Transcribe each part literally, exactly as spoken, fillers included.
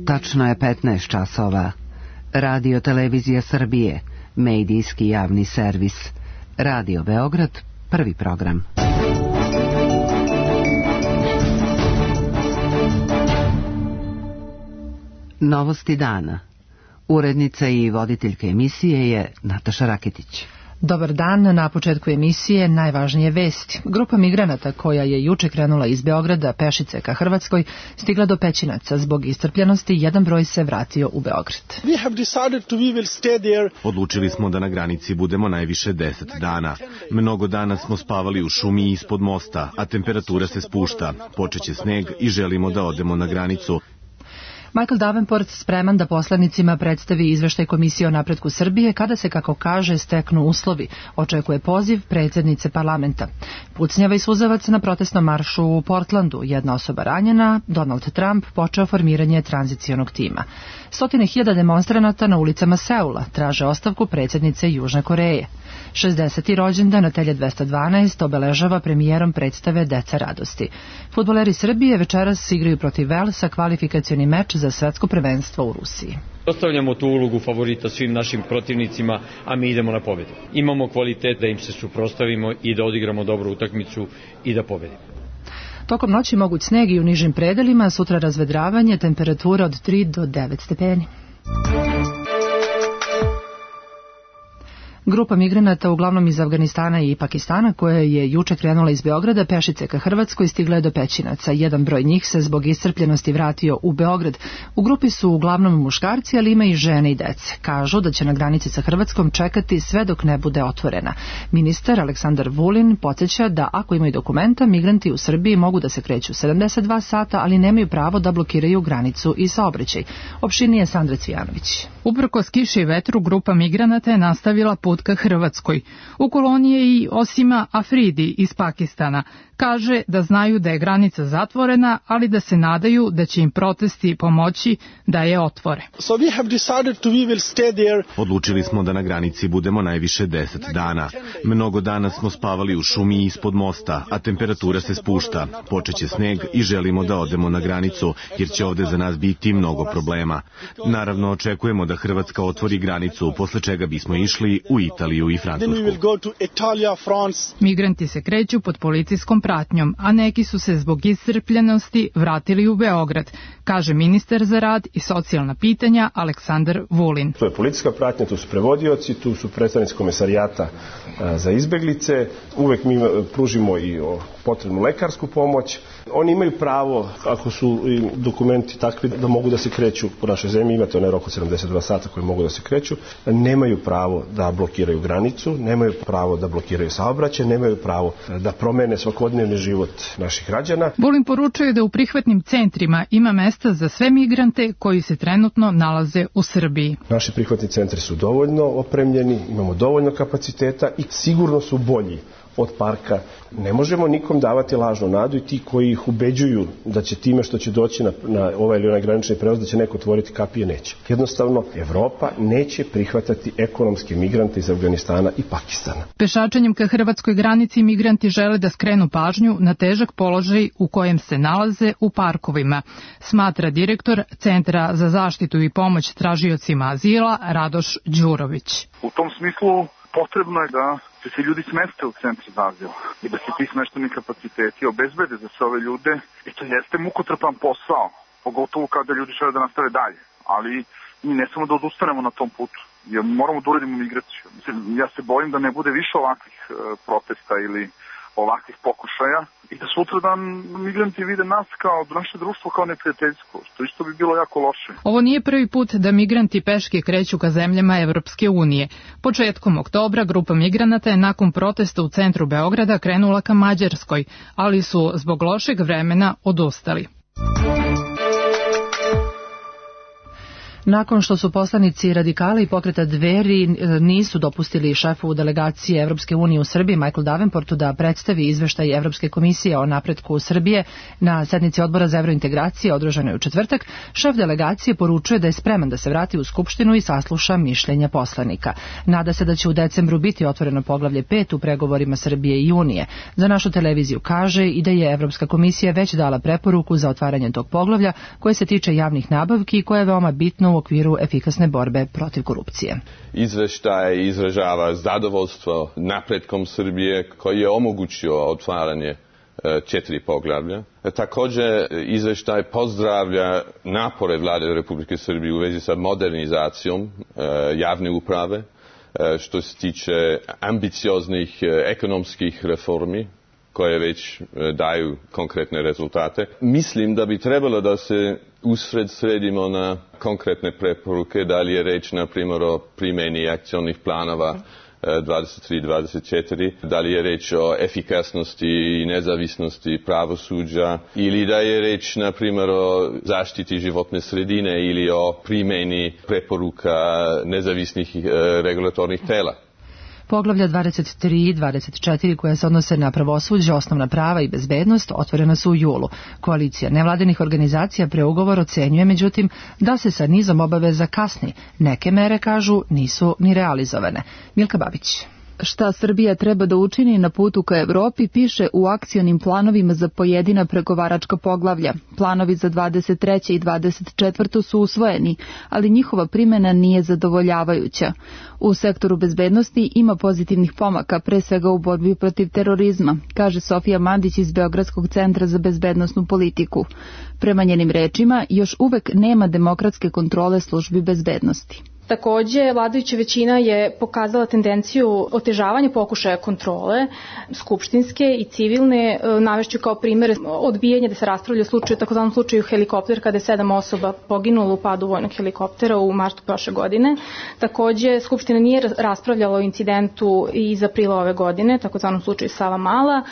Tačno je petnaest časova. Radio Televizija Srbije, medijski javni servis. Radio Beograd, prvi program. Novosti dana. Urednica i voditeljka emisije je Nataša Raketić. Dobar dan, na početku emisije najvažnije vesti. Grupa migranata koja je juče krenula iz Beograda pešice ka Hrvatskoj stigla do Pećinaca. Zbog iscrpljenosti jedan broj se vratio u Beograd. Odlučili smo da na granici budemo najviše deset dana. Mnogo dana smo spavali u šumi ispod mosta, a temperatura se spušta. Počeće sneg i želimo da odemo na granicu. Michael Davenport spreman da poslanicima predstavi izveštaj Komisije o napretku Srbije kada se, kako kaže, steknu uslovi. Očekuje poziv predsjednice parlamenta. Pucnjava i suzavac na protestnom maršu u Portlandu. Jedna osoba ranjena, Donald Trump počeo formiranje tranzicionog tima. Stotine hiljada demonstranata na ulicama Seula traže ostavku predsjednice Južne Koreje. šezdeseti rođendan Natelje dvesta dvanaest obeležava premijerom predstave Deca radosti. Fudbaleri Srbije večeras igraju protiv Velsa kvalifikacioni meč za svetsko prvenstvo u Rusiji. Ostavljamo tu ulogu favorita svim našim protivnicima, a mi idemo na pobjedu. Imamo kvalitet da im se suprotstavimo i da odigramo dobru utakmicu i da pobedimo. Tokom noći moguć sneg i u nižim predelima, sutra razvedravanje, temperatura od tri do devet stepeni. Grupa migranata, uglavnom iz Afganistana i Pakistana, koja je juče krenula iz Beograda pešice ka Hrvatskoj, stigla je do Pećinaca. Jedan broj njih se zbog iscrpljenosti vratio u Beograd. U grupi su uglavnom muškarci, ali ima i žene i dece. Kažu da će na granici sa Hrvatskom čekati sve dok ne bude otvorena. Ministar Aleksandar Vulin podsjeća da ako imaju dokumenta, migranti u Srbiji mogu da se kreću sedamdeset dva sata, ali nemaju pravo da blokiraju granicu i saobraćaj. Opširnije Sandra Cvijanović. Uprkos kiši i vetru, grupa migranata je nastavila put ka Hrvatskoj. U koloniji je i Osima Afridi iz Pakistana. Kaže da znaju da je granica zatvorena, ali da se nadaju da će im protesti pomoći da je otvore. Odlučili smo da na granici budemo najviše deset dana. Mnogo dana smo spavali u šumi ispod mosta, a temperatura se spušta. Počeće sneg i želimo da odemo na granicu, jer će ovde za nas biti mnogo problema. Naravno, očekujemo da Hrvatska otvori granicu, posle čega bismo išli u Italiju i Francusku. Migranti se kreću pod policijskom pratnjom, a neki su se zbog iscrpljenosti vratili u Beograd, kaže ministar za rad i socijalna pitanja Aleksandar Vulin. To je policijska pratnja, tu su prevodioci, tu su predstavnici komesarijata za izbeglice, uvek mi pružimo i potrebnu lekarsku pomoć. Oni imaju pravo, ako su dokumenti takvi da mogu da se kreću po našoj zemlji, imate onaj rok od sedamdeset dva sata koji mogu da se kreću, nemaju pravo da blokiraju granicu, nemaju pravo da blokiraju saobraćaj, nemaju pravo da promene svakodnevni život naših građana. Vulin poručuje da u prihvatnim centrima ima mesta za sve migrante koji se trenutno nalaze u Srbiji. Naši prihvatni centri su dovoljno opremljeni, imamo dovoljno kapaciteta i sigurno su bolji od parka. Ne možemo nikom davati lažnu nadu i ti koji ih ubeđuju da će time što će doći na, na ovaj ili onaj granični prevoz da će neko otvoriti kapije, neće. Jednostavno, Evropa neće prihvatati ekonomske migrante iz Afganistana i Pakistana. Pešačenjem ka hrvatskoj granici migranti žele da skrenu pažnju na težak položaj u kojem se nalaze u parkovima, smatra direktor Centra za zaštitu i pomoć tražiocima azila Radoš Đurović. U tom smislu potrebno je da se ljudi smeste u centri za azil i da se ti smešteni kapaciteti obezbede za sve ove ljude. I to jeste mukotrpan posao, pogotovo kada ljudi žele da nastave dalje. Ali mi ne samo da odustanemo na tom putu, jer moramo da uredimo migraciju. Ja se bojim da ne bude više ovakvih e, protesta ili ovakvih pokušaja i da sutradan migranti vide nas kao naše društvo kao neprijateljsko, što isto bi bilo jako loše. Ovo nije prvi put da migranti peške kreću ka zemljama Evropske unije. Početkom oktobra grupa migranata je nakon protesta u centru Beograda krenula ka Mađarskoj, ali su zbog lošeg vremena odustali. Nakon što su poslanici radikali i pokreta Dveri nisu dopustili šefu delegacije Evropske unije u Srbiji Michael Davenportu da predstavi izveštaj Evropske komisije o napretku Srbije na sednici odbora za evrointegracije održanoj u četvrtak, šef delegacije poručuje da je spreman da se vrati u Skupštinu i sasluša mišljenja poslanika. Nada se da će u decembru biti otvoreno poglavlje pet u pregovorima Srbije i Unije. Za našu televiziju kaže i da je Evropska komisija već dala preporuku za otvaranje tog poglavlja koje se tiče javnih nabavki i koje je veoma bitno u okviru efikasne borbe protiv korupcije. Izveštaj izražava zadovoljstvo napretkom Srbije koji je omogućio otvaranje četiri poglavlja. Također izveštaj pozdravlja napore Vlade Republike Srbije u vezi sa modernizacijom javne uprave što se tiče ambicioznih ekonomskih reformi koje već daju konkretne rezultate. Mislim da bi trebalo da se usred sredimo na konkretne preporuke, da li je reč na primjer o primjeni akcionih planova dvadeset tri dvadeset četiri, da li je reč o efikasnosti i nezavisnosti pravosuđa ili da je reč na primjer o zaštiti životne sredine ili o primjeni preporuka nezavisnih regulatornih tela. Poglavlja dvadeset tri i dvadeset četiri koja se odnose na pravosuđe, osnovna prava i bezbednost otvorena su u julu. Koalicija nevladinih organizacija preugovor ocenjuje međutim da se sa nizom obaveza kasni. Neke mere, kažu, nisu ni realizovane. Milka Babić. Šta Srbija treba da učini na putu ka Evropi piše u akcionim planovima za pojedina pregovaračka poglavlja. Planovi za dvadeset treću i dvadeset četvrtu su usvojeni, ali njihova primjena nije zadovoljavajuća. U sektoru bezbednosti ima pozitivnih pomaka, pre svega u borbi protiv terorizma, kaže Sofija Mandić iz Beogradskog centra za bezbednosnu politiku. Prema njenim rečima, još uvek nema demokratske kontrole službi bezbednosti. Takođe, vladajuća većina je pokazala tendenciju otežavanja pokušaja kontrole, skupštinske i civilne. Navešću kao primjer odbijanje da se raspravlja o slučaju, takozvanom slučaju helikopter, kada je sedam osoba poginulo u padu vojnog helikoptera u martu prošle godine. Takođe, Skupština nije raspravljala o incidentu iz aprila ove godine, takozvanom slučaju Savamala.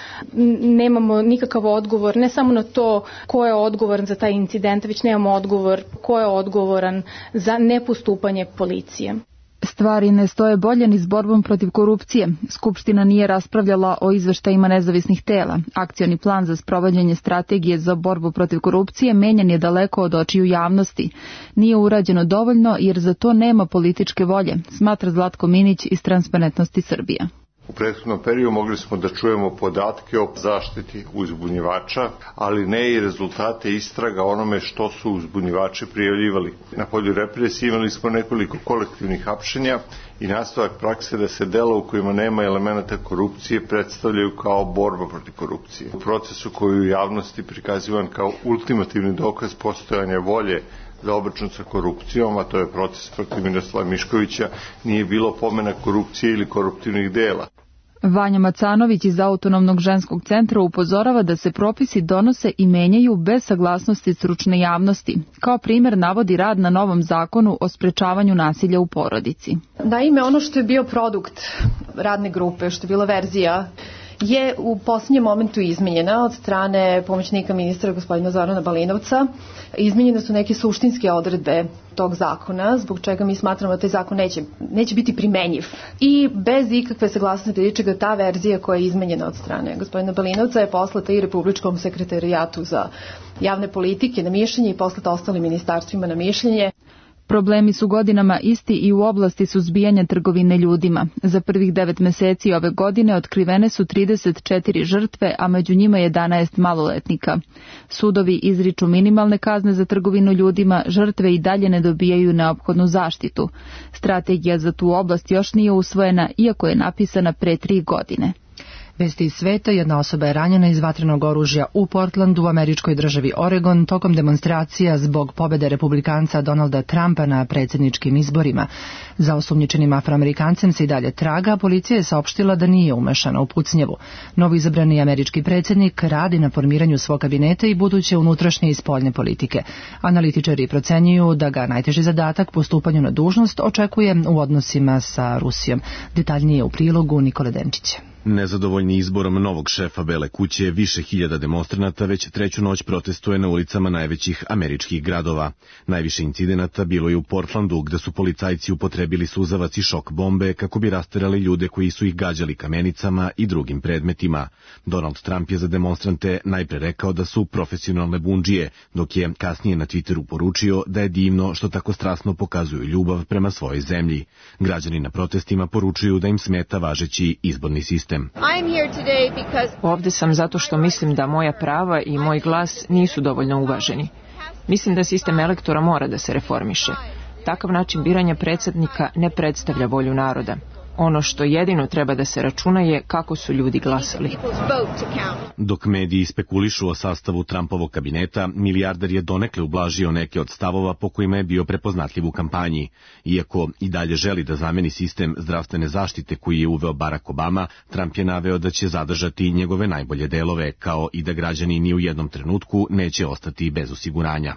Nemamo nikakav odgovor, ne samo na to ko je odgovoran za taj incident, već nemamo odgovor ko je odgovoran za nepostupanje policije. Stvari ne stoje bolje ni s borbom protiv korupcije. Skupština nije raspravljala o izveštajima nezavisnih tela. Akcioni plan za sprovođenje strategije za borbu protiv korupcije menjan je daleko od očiju javnosti. Nije urađeno dovoljno jer za to nema političke volje, smatra Zlatko Minić iz Transparentnosti Srbije. U prethodnom periodu mogli smo da čujemo podatke o zaštiti uzbunjivača, ali ne i rezultate istraga onome što su uzbunjivači prijavljivali. Na polju represije imali smo nekoliko kolektivnih hapšenja i nastavak prakse da se dela u kojima nema elemenata korupcije predstavljaju kao borba protiv korupcije. U procesu koji u javnosti prikazivan kao ultimativni dokaz postojanja volje za obračun sa korupcijom, a to je proces protiv Miroslava Miškovića, nije bilo pomena korupcije ili koruptivnih dela. Vanja Macanović iz Autonomnog ženskog centra upozorava da se propisi donose i menjaju bez saglasnosti stručne javnosti. Kao primjer navodi rad na novom zakonu o sprečavanju nasilja u porodici. Naime, ono što je bio produkt radne grupe, što je bila verzija, je u posljednjem momentu izmenjena od strane pomoćnika ministra gospodina Zorana Balinovca. Izmenjene su neke suštinske odredbe tog zakona, zbog čega mi smatramo da taj zakon neće, neće biti primenjiv. I bez ikakve saglasnosti ničega ta verzija koja je izmenjena od strane gospodina Balinovca je poslata i Republičkom sekretarijatu za javne politike na mišljenje i poslata ostalim ministarstvima na mišljenje. Problemi su godinama isti i u oblasti suzbijanja trgovine ljudima. Za prvih devet meseci ove godine otkrivene su trideset četiri žrtve, a među njima jedanaest maloletnika. Sudovi izriču minimalne kazne za trgovinu ljudima, žrtve i dalje ne dobijaju neophodnu zaštitu. Strategija za tu oblast još nije usvojena, iako je napisana pre tri godine. Vesti iz sveta, jedna osoba je ranjena iz vatrenog oružja u Portlandu u američkoj državi Oregon tokom demonstracija zbog pobede republikanca Donalda Trumpa na predsjedničkim izborima. Za osumnjičenim Afroamerikancem se i dalje traga, policija je saopštila da nije umešana u pucnjevu. Novo izabrani američki predsjednik radi na formiranju svog kabineta i buduće unutrašnje i spoljne politike. Analitičari procenjuju da ga najteži zadatak po stupanju na dužnost očekuje u odnosima sa Rusijom. Detaljnije u prilogu Nikole Denčića. Nezadovoljni izborom novog šefa Bele kuće, više hiljada demonstranata već treću noć protestuje na ulicama najvećih američkih gradova. Najviše incidenata bilo je u Portlandu, gde su policajci upotrebili suzavac i šok bombe kako bi rasterali ljude koji su ih gađali kamenicama i drugim predmetima. Donald Trump je za demonstrante najpre rekao da su profesionalne bundžije, dok je kasnije na Twitteru poručio da je divno što tako strasno pokazuju ljubav prema svojoj zemlji. Građani na protestima poručuju da im smeta važeći izborni sistem. Ovde sam zato što mislim da moja prava i moj glas nisu dovoljno uvaženi. Mislim da sistem elektora mora da se reformiše. Takav način biranja predsjednika ne predstavlja volju naroda. Ono što jedino treba da se računa je kako su ljudi glasali. Dok mediji spekulišu o sastavu Trumpovog kabineta, milijarder je donekle ublažio neke od stavova po kojima je bio prepoznatljiv u kampanji. Iako i dalje želi da zameni sistem zdravstvene zaštite koji je uveo Barack Obama, Trump je naveo da će zadržati njegove najbolje delove, kao i da građani ni u jednom trenutku neće ostati bez osiguranja.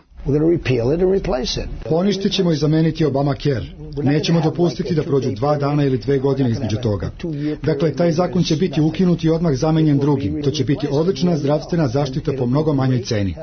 Poništit ćemo i zameniti Obamacare. Nećemo dopustiti da prođu dva dana ili dve godine između toga. Dakle, taj zakon će biti ukinut i odmah zamenjen drugim. To će biti odlična zdravstvena zaštita po mnogo manjoj ceni.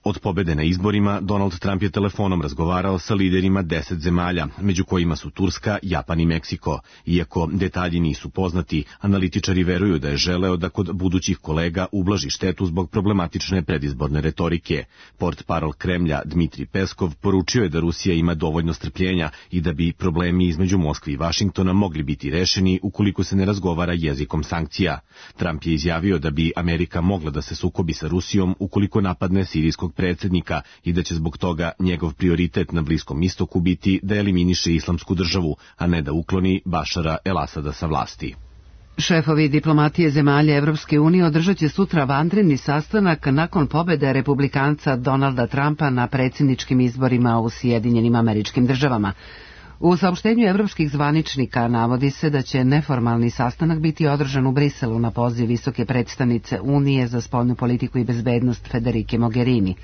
Od pobede na izborima, Donald Trump je telefonom razgovarao sa liderima deset zemalja, među kojima su Turska, Japan i Meksiko. Iako detalji nisu poznati, analitičari veruju da je želeo da kod budućih kolega ublaži štetu zbog problematične predizborne retorike. Portparol Kremlja Dmitrij Peskov poručio je da Rusija ima dovoljno strpljenja i da bi problemi između Moskve i Vašingtona mogli biti rešeni ukoliko se ne razgovara jezikom sankcija. Trump je izjavio da bi Amerika mogla da se sukobi sa Rusijom ukoliko napadne sirijskog predsjednika i da će zbog toga njegov prioritet na Bliskom istoku biti da eliminiše islamsku državu, a ne da ukloni Bašara el-Asada sa vlasti. Šefovi diplomatije zemalja Evropske unije održat će sutra vanredni sastanak nakon pobede republikanca Donalda Trumpa na predsjedničkim izborima u Sjedinjenim Američkim Državama. U saopštenju evropskih zvaničnika navodi se da će neformalni sastanak biti održan u Briselu na poziv visoke predstavnice Unije za spoljnu politiku i bezbednost Federike Mogherini.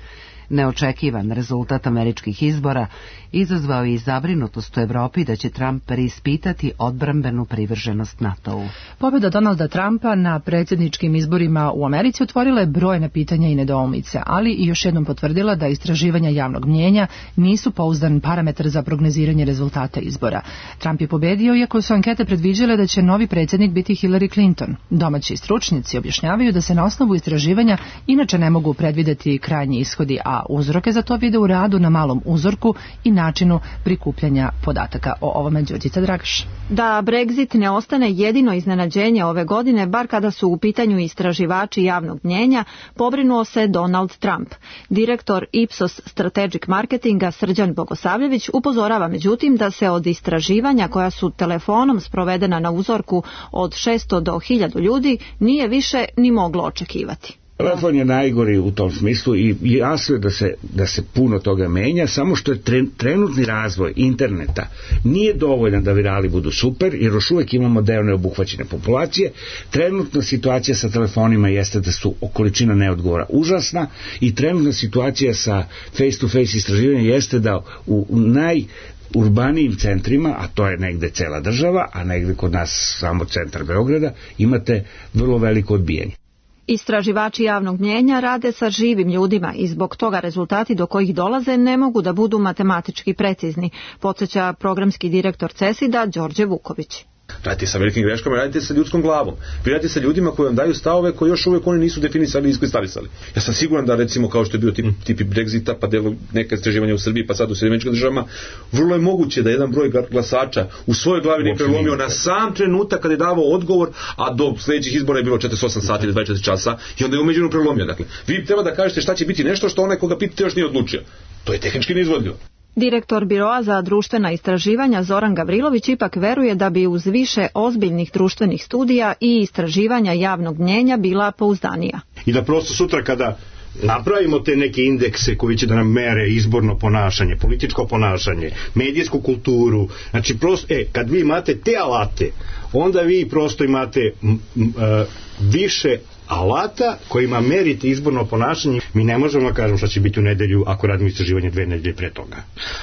Neočekivan rezultat američkih izbora izazvao i zabrinutost u Evropi da će Trump preispitati odbrambenu privrženost NATO-u. Pobjeda Donalda Trumpa na predsjedničkim izborima u Americi otvorila je brojna pitanja i nedoumice, ali i još jednom potvrdila da istraživanja javnog mnjenja nisu pouzdan parametar za prognoziranje rezultata izbora. Trump je pobedio iako su ankete predviđale da će novi predsjednik biti Hillary Clinton. Domaći stručnjaci objašnjavaju da se na osnovu istraživanja inače ne mogu predvideti krajnji ishodi, a uzroke za to vide u radu na malom uzorku i načinu prikupljanja podataka. O ovome Đurđica Dragaš. Da Brexit ne ostane jedino iznenađenje ove godine, bar kada su u pitanju istraživači javnog mnjenja, pobrinuo se Donald Trump. Direktor Ipsos Strategic Marketinga Srđan Bogosavljević upozorava međutim da se od istraživanja koja su telefonom sprovedena na uzorku od šesto do hiljadu ljudi nije više ni moglo očekivati. Telefon je najgori u tom smislu i jasno je da se, da se puno toga menja, samo što je trenutni razvoj interneta nije dovoljan da virali budu super, jer još uvijek imamo deo neobuhvaćene populacije. Trenutna situacija sa telefonima jeste da su količina neodgovora užasna i trenutna situacija sa face-to-face istraživanjem jeste da u, u naj urbanijim centrima, a to je negde cela država, a negde kod nas samo centar Beograda, imate vrlo veliko odbijanje. Istraživači javnog mnjenja rade sa živim ljudima i zbog toga rezultati do kojih dolaze ne mogu da budu matematički precizni, podsjeća programski direktor CESID-a Đorđe Vuković. Radite sa velikim greškama, radite sa ljudskom glavom. Vi radite sa ljudima koji vam daju stavove koji još uvijek oni nisu definisali i iskristalisali. Ja sam siguran da recimo kao što je bio tip, tipi Brexita, pa delo neka istraživanja u Srbiji, pa sad u Sjedinjenim Američkim Državama, vrlo je moguće da jedan broj glasača u svojoj glavi ne prelomio na sam trenutak kad je davao odgovor, a do sljedećih izbora je bilo četrdeset osam sati ili dvadeset četiri časa i onda je umeđu prelomio. Dakle, vi treba da kažete šta će biti nešto što onaj koga pitate još nije odlučio. To je tehnički neizvodljivo. Direktor Biroa za društvena istraživanja Zoran Gavrilović ipak veruje da bi uz više ozbiljnih društvenih studija i istraživanja javnog mnjenja bila pouzdanija. I da prosto sutra kada napravimo te neke indekse koji će da nam mere izborno ponašanje, političko ponašanje, medijsku kulturu, znači prosto, e, kad vi imate te alate, onda vi prosto imate m, m, više alata kojima merite izborno ponašanje. Mi ne možemo da kažemo šta će biti u nedelju ako radimo istraživanje dve nedelje pre toga.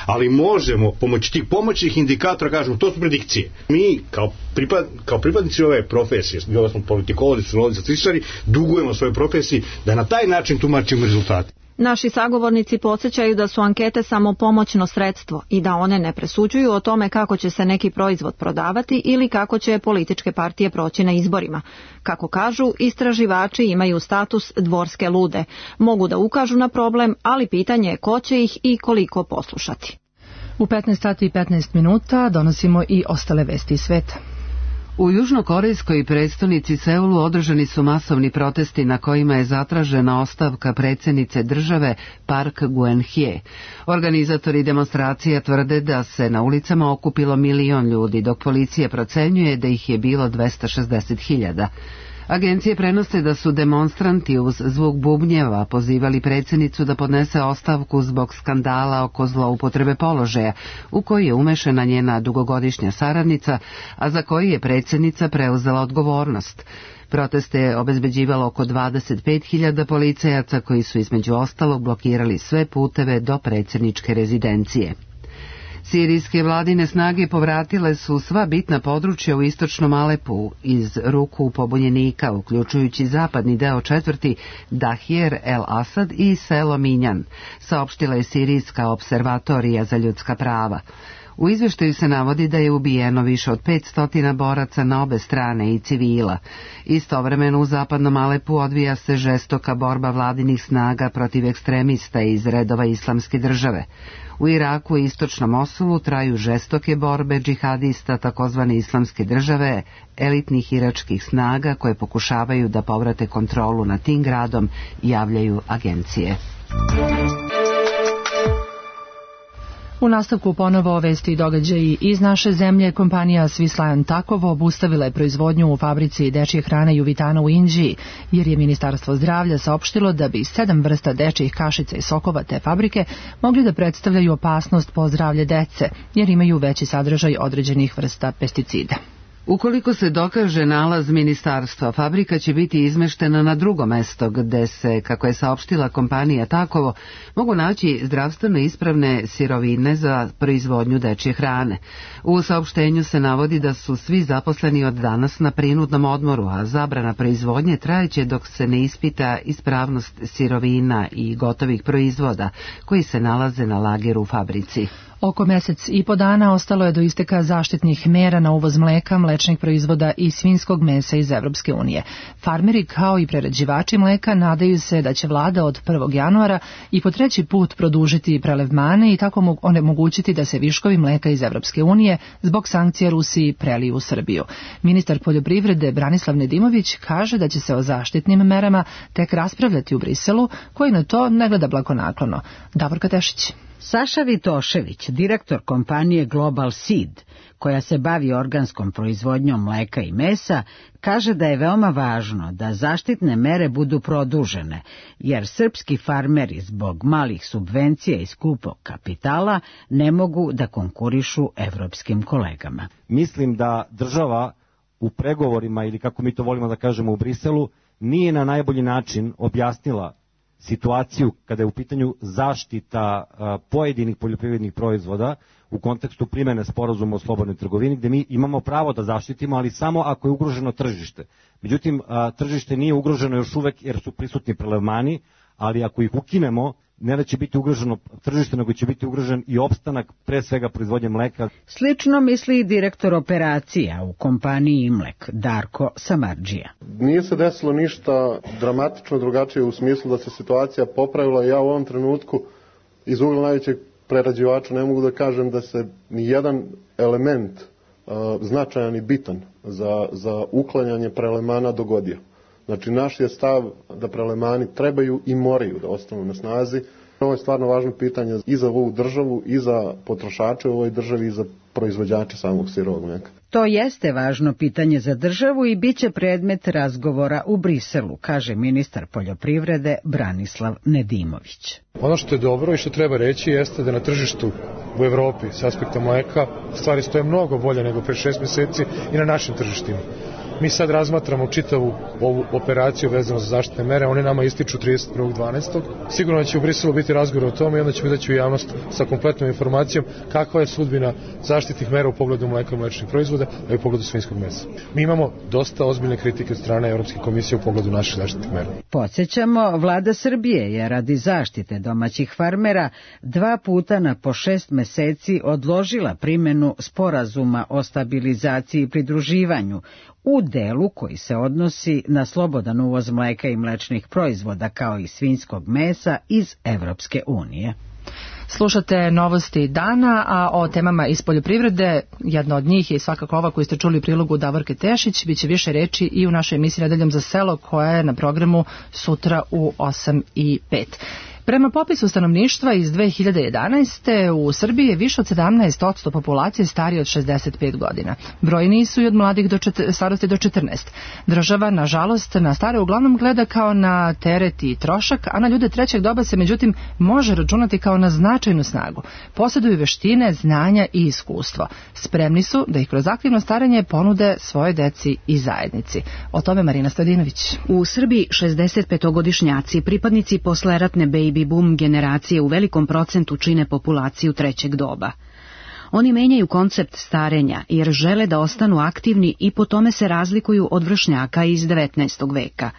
Ali možemo pomoći tih pomoćnih indikatora kažemo to su predikcije. Mi kao, pripad, kao pripadnici ove profesije, bilo smo politikolozi, sociolozi, statističari, dugujemo svojoj profesiji da na taj način tumačimo rezultate. Naši sagovornici podsjećaju da su ankete samo pomoćno sredstvo i da one ne presuđuju o tome kako će se neki proizvod prodavati ili kako će političke partije proći na izborima. Kako kažu, istraživači imaju status dvorske lude. Mogu da ukažu na problem, ali pitanje je ko će ih i koliko poslušati. U petnaest sati i petnaest minuta donosimo i ostale vesti iz sveta. U južnokorejskoj prestonici Seulu održani su masovni protesti na kojima je zatražena ostavka predsjednice države Park Geun-hye. Organizatori demonstracija tvrde da se na ulicama okupilo milion ljudi, dok policija procenjuje da ih je bilo dvesta šezdeset hiljada. Agencije prenose da su demonstranti uz zvuk bubnjeva pozivali predsjednicu da podnese ostavku zbog skandala oko zloupotrebe položaja, u koji je umešana njena dugogodišnja saradnica, a za koji je predsjednica preuzela odgovornost. Proteste je obezbeđivalo oko dvadeset pet hiljada policajaca koji su između ostalog blokirali sve puteve do predsjedničke rezidencije. Sirijske vladine snage povratile su sva bitna područja u istočnom Alepu iz ruku pobunjenika, uključujući zapadni deo četvrti Dahir el Asad i selo Minjan, saopštila je Sirijska observatorija za ljudska prava. U izveštaju se navodi da je ubijeno više od petsto boraca na obe strane i civila. Istovremeno u zapadnom Alepu odvija se žestoka borba vladinih snaga protiv ekstremista iz redova Islamske države. U Iraku i istočnom Mosulu traju žestoke borbe džihadista takozvane Islamske države, elitnih iračkih snaga koje pokušavaju da povrate kontrolu nad tim gradom, javljaju agencije. U nastavku ponovo vesti i događaji iz naše zemlje. Kompanija Swiss Lion Takovo obustavila je proizvodnju u fabrici dečje hrane Juvitana u Indiji, jer je Ministarstvo zdravlja saopštilo da bi sedam vrsta dečjih kašica i sokova te fabrike mogli da predstavljaju opasnost po zdravlje dece, jer imaju veći sadržaj određenih vrsta pesticida. Ukoliko se dokaže nalaz ministarstva, fabrika će biti izmeštena na drugo mesto gde se, kako je saopštila kompanija Takovo, mogu naći zdravstveno ispravne sirovine za proizvodnju dečje hrane. U saopštenju se navodi da su svi zaposleni od danas na prinudnom odmoru, a zabrana proizvodnje trajeće dok se ne ispita ispravnost sirovina i gotovih proizvoda koji se nalaze na lageru u fabrici. Oko mesec i po dana ostalo je do isteka zaštitnih mera na uvoz mleka, mlečnih proizvoda i svinjskog mesa iz Evropske unije. Farmeri kao i prerađivači mleka nadaju se da će vlada od prvog januara i po treći put produžiti prelevmane i tako onemogućiti da se viškovi mleka iz Evropske unije zbog sankcija Rusiji preliju u Srbiju. Ministar poljoprivrede Branislav Nedimović kaže da će se o zaštitnim merama tek raspravljati u Briselu, koji na to ne gleda blagonaklono. Davorka Tešić. Saša Vitošević, direktor kompanije Global Seed, koja se bavi organskom proizvodnjom mleka i mesa, kaže da je veoma važno da zaštitne mere budu produžene, jer srpski farmeri zbog malih subvencija i skupog kapitala ne mogu da konkurišu evropskim kolegama. Mislim da država u pregovorima, ili kako mi to volimo da kažemo u Briselu, nije na najbolji način objasnila situaciju kada je u pitanju zaštita a, pojedinih poljoprivrednih proizvoda u kontekstu primjene sporazuma o slobodnoj trgovini, gdje mi imamo pravo da zaštitimo, ali samo ako je ugroženo tržište. Međutim, a, tržište nije ugroženo još uvek jer su prisutni prelevmani, ali ako ih ukinemo, ne da će biti ugroženo tržište, nego će biti ugrožen i opstanak pre svega proizvodnje mleka. Slično misli i direktor operacija u kompaniji Imlek, Darko Samardžija. Nije se desilo ništa dramatično drugačije u smislu da se situacija popravila. Ja u ovom trenutku iz ugla najvećeg prerađivača ne mogu da kažem da se ni jedan element uh, značajan i bitan za, za uklanjanje prelemana dogodio. Znači, naš je stav da prelemani trebaju i moraju da ostanu na snazi. Ovo je stvarno važno pitanje i za ovu državu, i za potrošače u ovoj državi, i za proizvođače samog sirovog mlijeka. To jeste važno pitanje za državu i bit će predmet razgovora u Briselu, kaže ministar poljoprivrede Branislav Nedimović. Ono što je dobro i što treba reći jeste da na tržištu u Evropi s aspekta mleka stvari stoje mnogo bolje nego pre šest meseci i na našim tržištima. Mi sad razmatramo čitavu ovu operaciju vezano za zaštitne mere, one nama ističu trideset prvog decembra. Sigurno će u Briselu biti razgovor o tome i onda ćemo izaći u javnost sa kompletnom informacijom kakva je sudbina zaštitnih mera u pogledu mleka i mlečnih proizvoda, a i u pogledu svinjskog mesa. Mi imamo dosta ozbiljne kritike od strane Evropske komisije u pogledu naših zaštitnih mera. Podsjećamo, vlada Srbije je radi zaštite domaćih farmera dva puta na po šest meseci odložila primjenu sporazuma o stabilizaciji i pridruživanju u delu koji se odnosi na slobodan uvoz mleka i mlečnih proizvoda kao i svinjskog mesa iz Evropske unije. Slušate novosti dana, a o temama iz poljoprivrede, jedna od njih je svakako ova koju ste čuli u prilogu Davorke Tešić, bit će više reči i u našoj emisiji Nedeljom za selo koja je na programu sutra u osam i pet. Prema popisu stanovništva iz dve hiljade jedanaeste. u Srbiji je više od sedamnaest posto populacije starije od šezdeset pet godina. Brojniji su i od mladih do čet- starosti do četrnaest. Država, nažalost, na stare uglavnom gleda kao na teret i trošak, a na ljude trećeg doba se međutim može računati kao na značajnu snagu. Posjeduju veštine, znanja i iskustvo. Spremni su da ih kroz aktivno starenje ponude svoje deci i zajednici. O tome Marina Stojadinović. U Srbiji šezdesetpetogodišnjaci, pripadnici posleratne baby boom generacije u velikom procentu čine populaciju trećeg doba. Oni menjaju koncept starenja jer žele da ostanu aktivni i po tome se razlikuju od vršnjaka iz devetnaestog veka.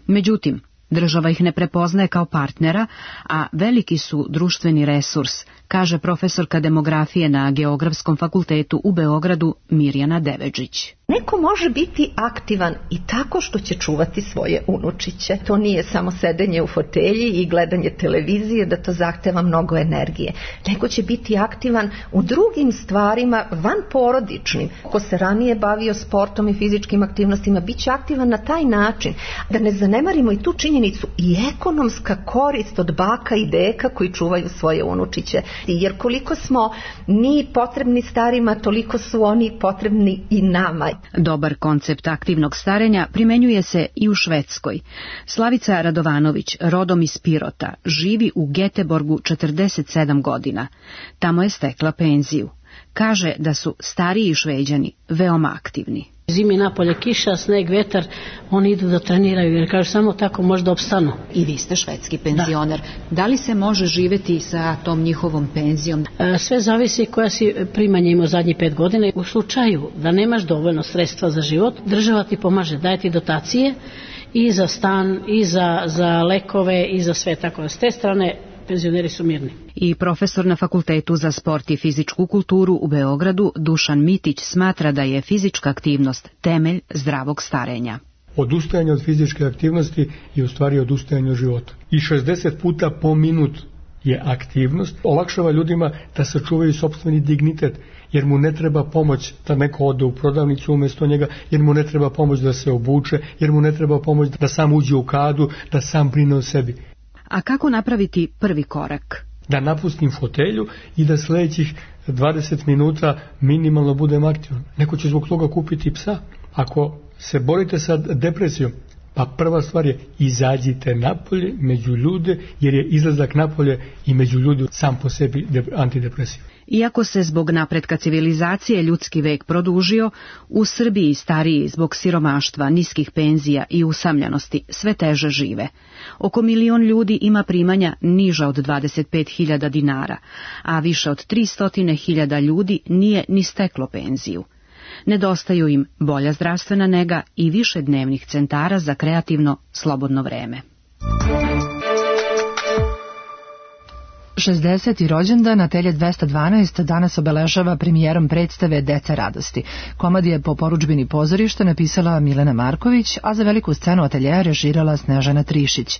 Međutim, država ih ne prepoznaje kao partnera, a veliki su društveni resurs, kaže profesorka demografije na Geografskom fakultetu u Beogradu Mirjana Devedžić. Neko može biti aktivan i tako što će čuvati svoje unučiće. To nije samo sedenje u fotelji i gledanje televizije, da to zahteva mnogo energije. Neko će biti aktivan u drugim stvarima vanporodičnim. Ko se ranije bavio sportom i fizičkim aktivnostima, bit će aktivan na taj način. Da ne zanemarimo i tu činjenicu i ekonomska korist od baka i deka koji čuvaju svoje unučiće. Jer koliko smo mi potrebni starima, toliko su oni potrebni i nama. Dobar koncept aktivnog starenja primenjuje se i u Švedskoj. Slavica Radovanović, rodom iz Pirota, živi u Geteborgu četrdeset sedam godina. Tamo je stekla penziju. Kaže da su stariji Šveđani veoma aktivni. Zimi napolje kiša, sneg, vetar, oni idu da treniraju jer kažu samo tako možda opstanu. I vi ste švedski penzioner. Da. da li se može živeti sa tom njihovom penzijom? E, sve zavisi koja si primanja ima zadnjih pet godina. U slučaju da nemaš dovoljno sredstva za život, država ti pomaže, daje ti dotacije i za stan, i za, za lekove, i za sve tako. S te strane penzioneri su mirni. I profesor na Fakultetu za sport i fizičku kulturu u Beogradu Dušan Mitić smatra da je fizička aktivnost temelj zdravog starenja. Odustajanje od fizičke aktivnosti je u stvari odustajanje od života. I šezdeset puta po minut je aktivnost. Olakšava ljudima da sačuvaju sopstveni dignitet, jer mu ne treba pomoć da neko ode u prodavnicu umjesto njega, jer mu ne treba pomoć da se obuče, jer mu ne treba pomoć da sam uđe u kadu, da sam brine o sebi. A kako napraviti prvi korak? Da napustim fotelju i da sljedećih dvadeset minuta minimalno budem aktivan. Neko će zbog toga kupiti psa. Ako se borite sa depresijom, pa prva stvar je izađite napolje među ljude, jer je izlazak napolje i među ljudi sam po sebi antidepresiv. Iako se zbog napretka civilizacije ljudski vek produžio, u Srbiji stariji zbog siromaštva, niskih penzija i usamljenosti sve teže žive. Oko milion ljudi ima primanja niža od dvadeset pet hiljada dinara, a više od tristo hiljada ljudi nije ni steklo penziju. Nedostaju im bolja zdravstvena nega i više dnevnih centara za kreativno slobodno vreme. šezdeseti rođendan Atelje dvesta dvanaest danas obeležava premijerom predstave Deca radosti. Komad je po porudžbini pozorišta napisala Milena Marković, a za veliku scenu Ateljeja režirala Snežana Trišić.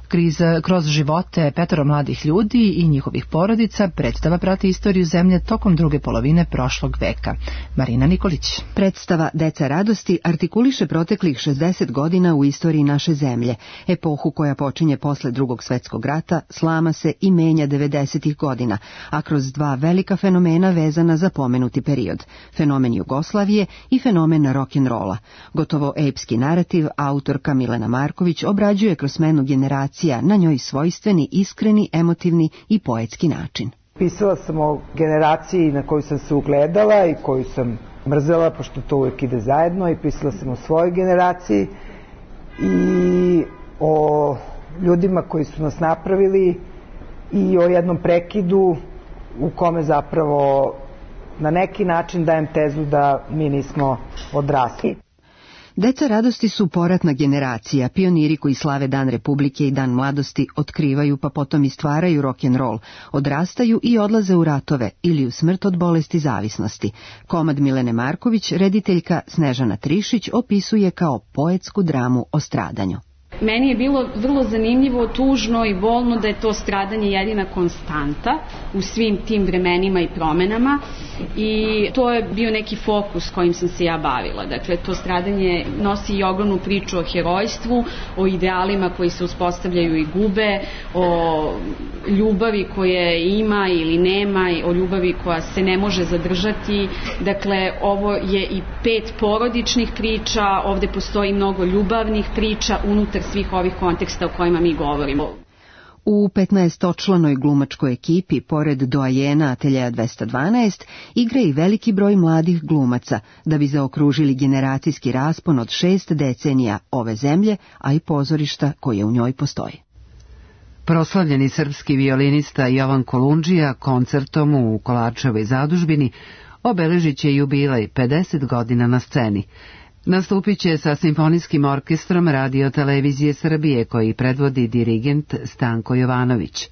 Kriz, kroz živote petoro mladih ljudi i njihovih porodica predstava prati istoriju zemlje tokom druge polovine prošlog veka. Marina Nikolić. Predstava Deca radosti artikuliše proteklih šezdeset godina u istoriji naše zemlje, epohu koja počinje posle Drugog svjetskog rata, slama se i menja devedesetih godina, a kroz dva velika fenomena vezana za pomenuti period, fenomen Jugoslavije i fenomen rock'n'rolla. Gotovo epski narativ autorka Milena Marković obrađuje kroz smenu generacije na njoj svojstveni, iskreni, emotivni i poetski način. Pisala sam o generaciji na koju sam se ugledala i koju sam mrzela, pošto to uvijek ide zajedno, i pisala sam o svojoj generaciji i o ljudima koji su nas napravili i o jednom prekidu u kome zapravo na neki način dajem tezu da mi nismo odrasli. Deca radosti su poratna generacija, pioniri koji slave Dan Republike i Dan mladosti, otkrivaju pa potom i stvaraju rock'n'roll, odrastaju i odlaze u ratove ili u smrt od bolesti zavisnosti. Komad Milene Marković, rediteljka Snežana Trišić, opisuje kao poetsku dramu o stradanju. Meni je bilo vrlo zanimljivo, tužno i bolno da je to stradanje jedina konstanta u svim tim vremenima i promenama, i to je bio neki fokus kojim sam se ja bavila. Dakle, to stradanje nosi i ogromnu priču o herojstvu, o idealima koji se uspostavljaju i gube, o ljubavi koje ima ili nema, o ljubavi koja se ne može zadržati. Dakle, ovo je i pet porodičnih priča, ovde postoji mnogo ljubavnih priča unutar svih ovih konteksta o kojima mi govorimo. U petnaestočlanoj glumačkoj ekipi, pored doajena Ateljeja dvesta dvanaest, igra i veliki broj mladih glumaca, da bi zaokružili generacijski raspon od šest decenija ove zemlje, a i pozorišta koje u njoj postoji. Proslavljeni srpski violinista Jovan Kolundžija koncertom u Kolarčevoj zadužbini obeležit će jubilej pedeset godina na sceni. Nastupit će sa simfonijskim orkestrom Radio Televizije Srbije, koji predvodi dirigent Stanko Jovanović.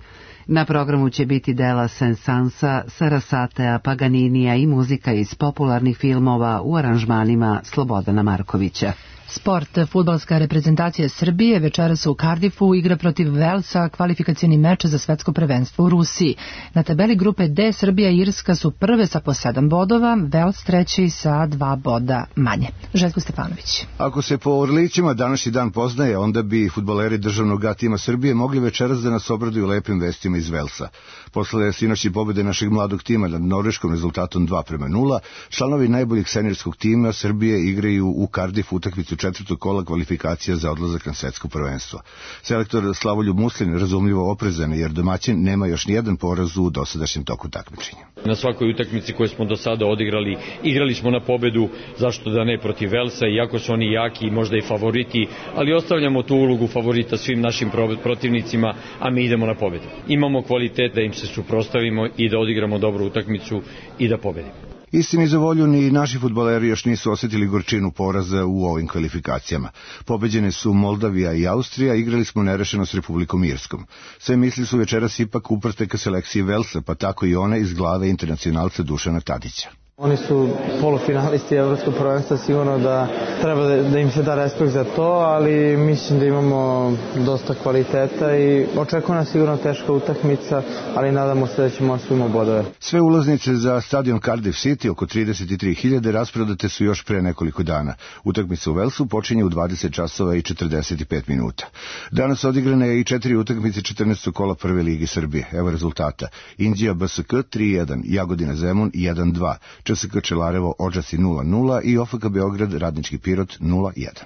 Na programu će biti dela Sensansa, Sarasatea, Paganinija i muzika iz popularnih filmova u aranžmanima Slobodana Markovića. Sport. Fudbalska reprezentacija Srbije večeras u Cardiffu igra protiv Velsa kvalifikacioni meč za svetsko prvenstvo u Rusiji. Na tabeli grupe D Srbija i Irska su prve sa po sedam bodova, Vels treći sa dva boda manje. Željko Stefanović. Ako se po Orlićima današnji dan poznaje, onda bi fudbaleri državnog A tima Srbije mogli večeras da nas obraduju lepim vestima iz Velsa. Posle sinoćne pobede našeg mladog tima nad norveškom rezultatom dva prema nula, članovi najboljeg seniorskog tima Srbije igraju u Cardiffu utakmicu četvrtog kola kvalifikacija za odlazak na svetsko prvenstvo. Selektor Slavoljub Muslin razumljivo oprezan, jer domaćin nema još nijedan poraz u dosadašnjem toku takmičenja. Na svakoj utakmici koju smo do sada odigrali, igrali smo na pobedu, zašto da ne, protiv Velsa, iako su oni jaki i možda i favoriti, ali ostavljamo tu ulogu favorita svim našim protivnicima, a mi idemo na pobedu. Imamo kvalitet da im se suprotstavimo i da odigramo dobru utakmicu i da pobedimo. Istini za volju, ni naši fudbaleri još nisu osjetili gorčinu poraza u ovim kvalifikacijama. Pobeđene su Moldavija i Austrija, igrali smo nerešeno s Republikom Irskom. Sve misli su večeras ipak uprte ka selekciji Velsa, pa tako i one iz glave internacionalca Dušana Tadića. Oni su polufinalisti evropskog prvenstva, sigurno da treba da, da im se da respekt za to, ali mislim da imamo dosta kvaliteta i očekuje nas sigurno teška utakmica, ali nadamo se da ćemo osvojiti bodove. Sve ulaznice za stadion Cardiff City, oko trideset tri hiljade, rasprodate su još pre nekoliko dana. Utakmica u Velsu počinje u dvadeset časova i četrdeset pet minuta. Danas odigrane je i četiri utakmice četrnaestog kola Prve ligi Srbije. Evo rezultata. Inđija B S K tri jedan, Jagodina Zemun jedan dva. Č S K Čelarevo Odžaci nula nula i O F K Beograd Radnički Pirot nula jedan.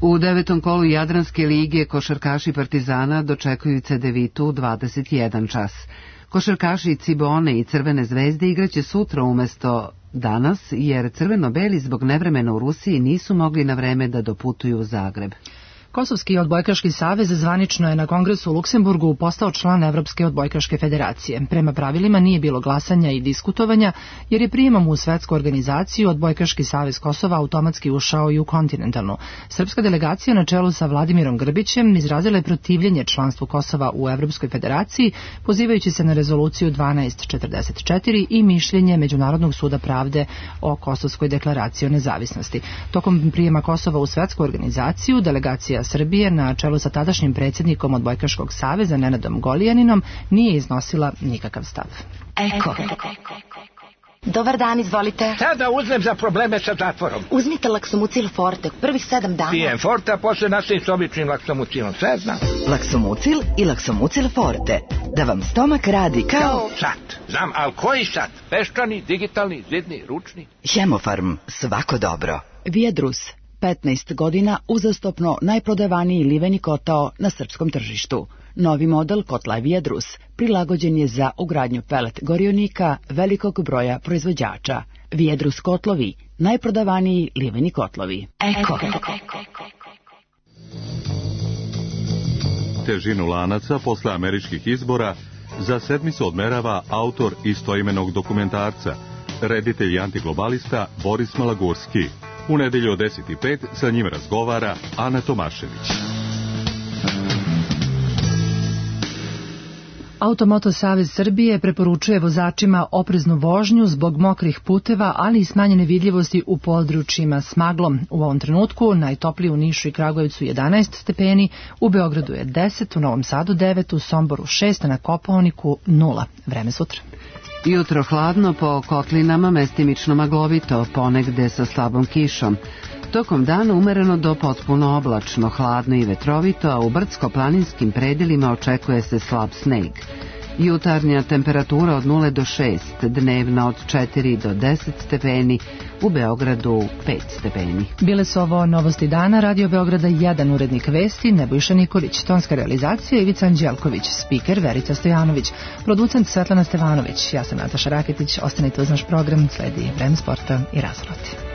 U devetom kolu Jadranske lige košarkaši Partizana dočekuju Cedevitu u dvadeset jedan čas. Košarkaši Cibone i Crvene zvezde igraće sutra umesto danas, jer crveno-beli zbog nevremena u Rusiji nisu mogli na vreme da doputuju u Zagreb. Kosovski odbojkaški savez zvanično je na kongresu u Luksemburgu postao član Evropske odbojkaške federacije. Prema pravilima nije bilo glasanja i diskutovanja, jer je prijemom u svetsku organizaciju odbojkaški savez Kosova automatski ušao i u kontinentalnu. Srpska delegacija na čelu sa Vladimirom Grbićem izrazila je protivljenje članstvu Kosova u Evropskoj federaciji, pozivajući se na rezoluciju dvanaest četrdeset četiri i mišljenje Međunarodnog suda pravde o Kosovskoj deklaraciji o nezavisnosti. Tokom prijema Kosova u svetsku organizaciju, delegacija Srbije na čelu sa tadašnjim predsjednikom odbojkaškog saveza Nenadom Golijaninom nije iznosila nikakav stav. Eko. Dobar dan, izvolite. Šta da uzmem za probleme sa zatvorom? Uzmite Laksomucil Forte, prvih sedam dana. Pijem Forte, a posle nastavim s običnim Laksomucilom, sve znam. Laksomucil i Laksomucil Forte, da vam stomak radi kao... Kao sat, znam, ali koji sat? Peščani, digitalni, zidni, ručni? Hemofarm, svako dobro. Vijedrus, petnaest godina uzastopno najprodavaniji liveni kotao na srpskom tržištu. Novi model kotla Viedrus prilagođen je za ugradnju pelet gorionika velikog broja proizvođača. Viedrus kotlovi, najprodavaniji liveni kotlovi. Eko. Težinu lanaca posle američkih izbora za sedmicu odmerava autor istoimenog dokumentarca, reditelj i antiglobalista Boris Malagurski. U nedelju od deset i pet sa njim razgovara Ana Tomašević. Automoto Savez Srbije preporučuje vozačima opreznu vožnju zbog mokrih puteva, ali i smanjene vidljivosti u područjima s maglom. U ovom trenutku najtoplije u Nišu i Kragujevcu jedanaest stepeni, u Beogradu je deset, u Novom Sadu devet, u Somboru šest, a na Kopaoniku nula. Vreme sutra. Jutro hladno, po kotlinama mestimično maglovito, ponegde sa slabom kišom. Tokom dana umereno do potpuno oblačno, hladno i vetrovito, a u brdsko-planinskim predelima očekuje se slab sneg. Jutarnja temperatura od nula do šest, dnevna od četiri do deset stepeni, u Beogradu pet stepeni. Bile su ovo novosti dana, Radio Beograda jedan, urednik vesti Nebojša Nikolić, tonska realizacija Ivica Anđelković, spiker Verica Stojanović, producent Svetlana Stevanović, ja sam Nataša Raketić, ostanite uz naš program, sledi Vreme sporta i Razvrati.